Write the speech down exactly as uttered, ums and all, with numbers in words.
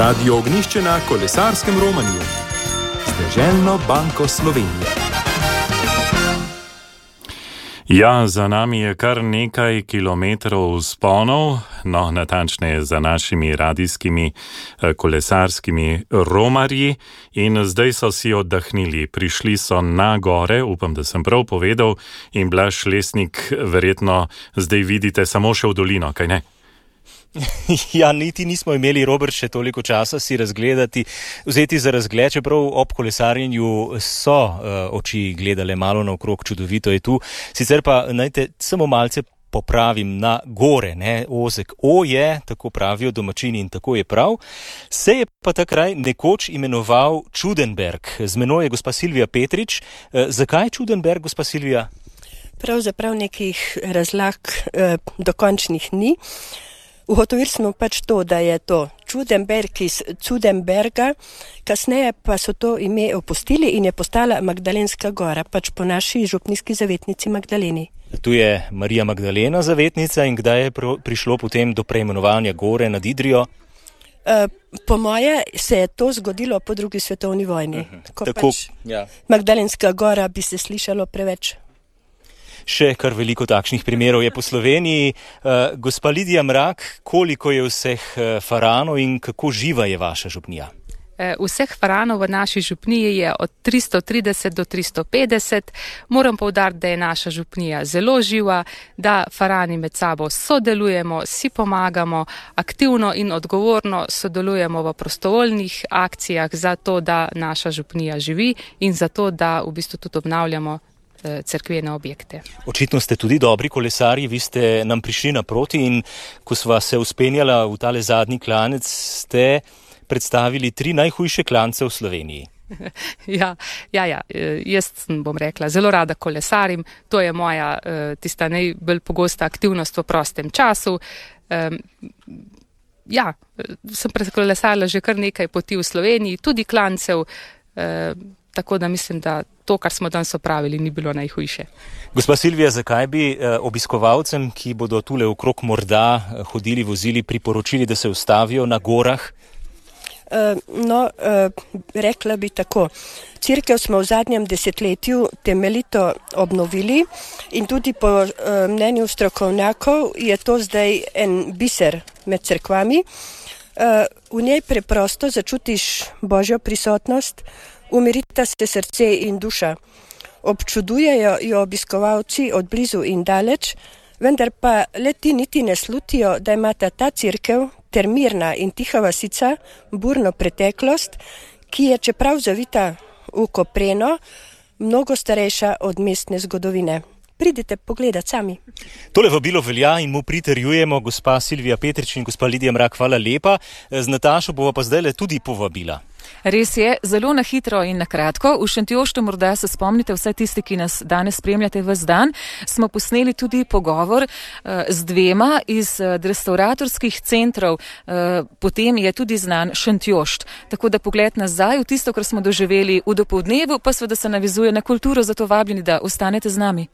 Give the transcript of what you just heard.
Radio Ognjišče na kolesarskem romanju z Deželno banko Slovenije. Ja, za nami je kar nekaj kilometrov vzponov, no, natančneje za našimi radijskimi kolesarskimi romarji, in zdaj so si oddahnili. Prišli so na gore, upam, da sem prav povedal, in Blaž Lesnik verjetno zdaj vidite samo še v dolino, kaj ne? Ja, niti nismo imeli, Robert, še toliko časa si razgledati, vzeti za razgled, čeprav ob kolesarjenju so uh, oči gledale malo naokrog, čudovito je tu. Sicer pa, najte, samo malce popravim na gore, ne, ozek O je, tako pravijo domačini in tako je prav. Se je pa ta kraj nekoč imenoval Čudenberg. Z menoj je gospa Silvija Petrič. Uh, zakaj Čudenberg, gospa Silvija? Pravzaprav nekih razlag uh, dokončnih ni. Ugotovili smo pač to, da je to Čudenberg iz Čudenberga, kasneje pa so to ime opustili in je postala Magdalenska gora, pač po naši župnijski zavetnici Magdaleni. Tu je Marija Magdalena zavetnica in kdaj je prišlo potem do preimenovanja gore nad Idrijo? Uh, po moje se je to zgodilo po drugi svetovni vojni, uh-huh. ko Tako, pač ja. Magdalenska gora bi se slišalo preveč. Še kar veliko takšnih primerov je po Sloveniji. Uh, gospa Lidija Mrak, koliko je vseh uh, faranov in kako živa je vaša župnija? Vseh faranov v naši župniji je od tristo trideset do tristo petdeset. Moram poudariti, da je naša župnija zelo živa, da farani med sabo sodelujemo, si pomagamo, aktivno in odgovorno sodelujemo v prostovoljnih akcijah za to, da naša župnija živi in za to, da v bistvu tudi obnavljamo cerkvene objekte. Očitno ste tudi dobri kolesarji, vi ste nam prišli naproti in ko sva se uspenjala v tale zadnji klanec, ste predstavili tri najhujše klance v Sloveniji. Ja, ja, ja, jaz bom rekla, zelo rada kolesarim, to je moja tista najbolj pogosta aktivnost v prostem času. Ja, sem prekolesarila že kar nekaj poti v Sloveniji, tudi klancev, tako da mislim, da to, kar smo danes opravili, ni bilo najhujše. Gospa Silvija, zakaj bi eh, obiskovalcem, ki bodo tule okrog morda eh, hodili, vozili, priporočili, da se ustavijo na gorah? Uh, no, uh, rekla bi tako. Cerkev smo v zadnjem desetletju temeljito obnovili in tudi po uh, mnenju strokovnjakov je to zdaj en biser med cerkvami. Uh, v njej preprosto začutiš Božjo prisotnost, umirita se srce in duša. Občudujejo jo obiskovalci od blizu in daleč, vendar pa le ti niti ne slutijo, da imata ta cerkev ter mirna in tiha vasica burno preteklost, ki je, čeprav zavita v kopreno, mnogo starejša od mestne zgodovine. Pridite pogledat sami. Tole vabilo velja in mu pritrjujemo. Gospa Silvija Petrič in gospa Lidija Mrak, hvala lepa. Z Natašo bova pa zdajle tudi povabila. Res je, zelo na hitro in na kratko. V Šentjoštu, morda se spomnite, vse tisti, ki nas danes spremljate ves dan, smo posneli tudi pogovor uh, z dvema iz uh, restauratorskih centrov. Uh, potem je tudi znan Šentjošt. Tako da pogled nazaj v tisto, kar smo doživeli v dopoldnevu, pa seveda se navizuje na kulturo, zato vabljeni, da ostanete z nami.